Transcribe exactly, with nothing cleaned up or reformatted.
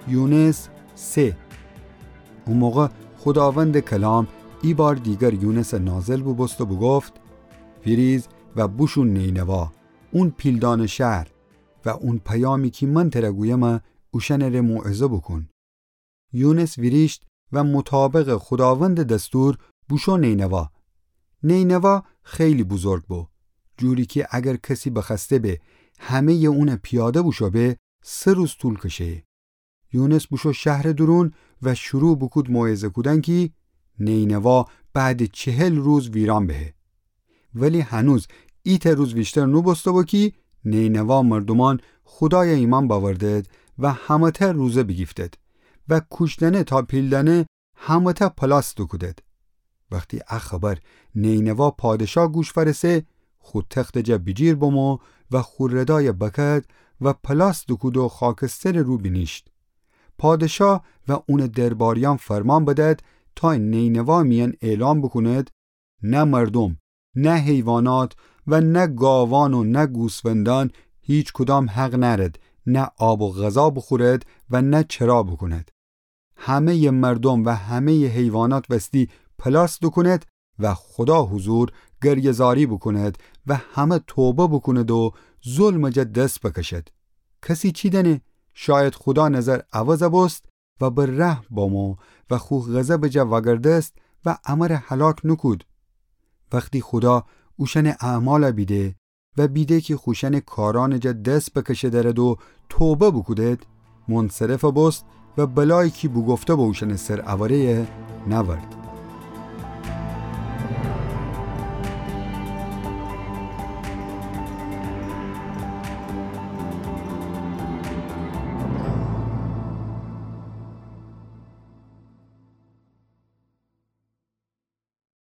یونس سه. او موقع خوداوندٚ کلام ایبار دیگر یونسٚ نازل بوبوست و بوگفت: ویریز و بوشو نینوا، اون پیلدانه شهر، و اون پیامی کی من تره گویمه اوشأنٚ ره موعظه بوکون. یونس ویریشت و مطابقٚ خوداوندٚ دستور بوشو نینوا. نینوا خیلی بزرگ بو، جوری کی اگر کسی بخوأسته به همه‌یٚ اونٚ پیاده بوشو به، سه روز طول کشه‌یه. یونس بوشو شهرٚ دورون و شروع بوکود موعظه کودن کی نینوا بعدٚ چهل روز ویران بهه. ولی هنوز ایتأ روز ویشتر نوبوسته‌بو کی نینوا مردومأن خودایَ ایمأن بأوردد و همه‌تأ روزه بیگیفتد و کوشتنه تا پیلدنه همه‌تأ پلاس دوکودد. وختی ا خبر نینوا پادشا گوش فأرسه، خو تختٚ جا بیجیر بمو و خو ردایَ بکد و پلاس دوکود و خاکسترٚ رو بینیشت. پادشا و اونٚ درباریأن فرمان بدد تا نینوا میأن اعلام بوکوند: نه مردوم، نه حیوانات و نه گاوأن و نه گوسفندأن هیچکدام حق نأرد نه آب و غذا بوخورد و نه چرا بوکوند. همه‌یٚ مردوم و همه‌یٚ حیوانات وستی پلاس دوکوند و خودا حضور گریه‌زاری بوکوند و همه توبه بوکوند و ظلمٚ جا دس بکشد. کسی چی دأنه؟ شاید خودا نظر عوض بوست و به رحم بامو و خو غضبٚ جا وأگردست و امره هلاک نوکود. وختی خودا اوشأنٚ اعمال بیده و بیده کی خوشأنٚ کارأنٚ جا دس بکشه دأرد و توبه بوکودد، منصرف بوست و بلایی کی بوگفته به اوشأنٚ سر اوره نأورد.